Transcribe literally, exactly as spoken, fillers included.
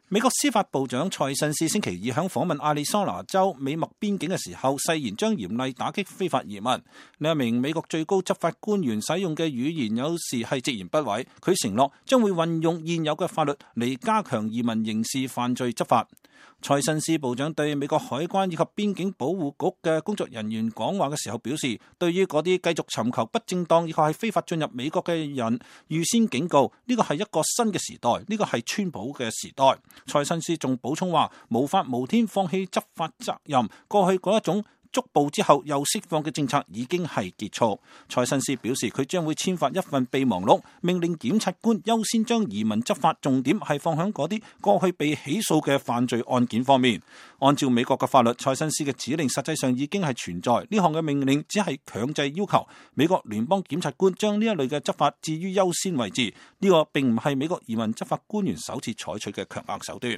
美國司法部長蔡新斯星期二響訪問亞利桑那州美墨邊境嘅時候，誓言將嚴厲打擊非法移民。呢一名美國最高執法官員使用嘅語言有時係直言不諱，佢承諾將會運用現有嘅法律嚟加強移民刑事犯罪執法。蔡新斯部長對美國海關以及邊境保護局嘅工作人員講話嘅時候表示，對於嗰啲繼續尋求不正當以及係非法進入美國嘅人，預先警告呢個係一個新嘅時代，呢個係川普嘅時代。蔡新斯仲補充話，無法無天放棄執法責任，過去嗰一種捉捕之後又釋放嘅政策已經係結束。蔡新斯表示，佢將會簽發一份備忘錄，命令檢察官優先將移民執法重點係放喺嗰啲過去被起訴嘅犯罪案件方面。按照美國嘅法律，蔡新斯嘅指令實際上已經係存在，呢項嘅命令只係強制要求美國聯邦檢察官將呢一類嘅執法置於優先位置。呢個並唔係美國移民執法官員首次採取嘅強硬手段。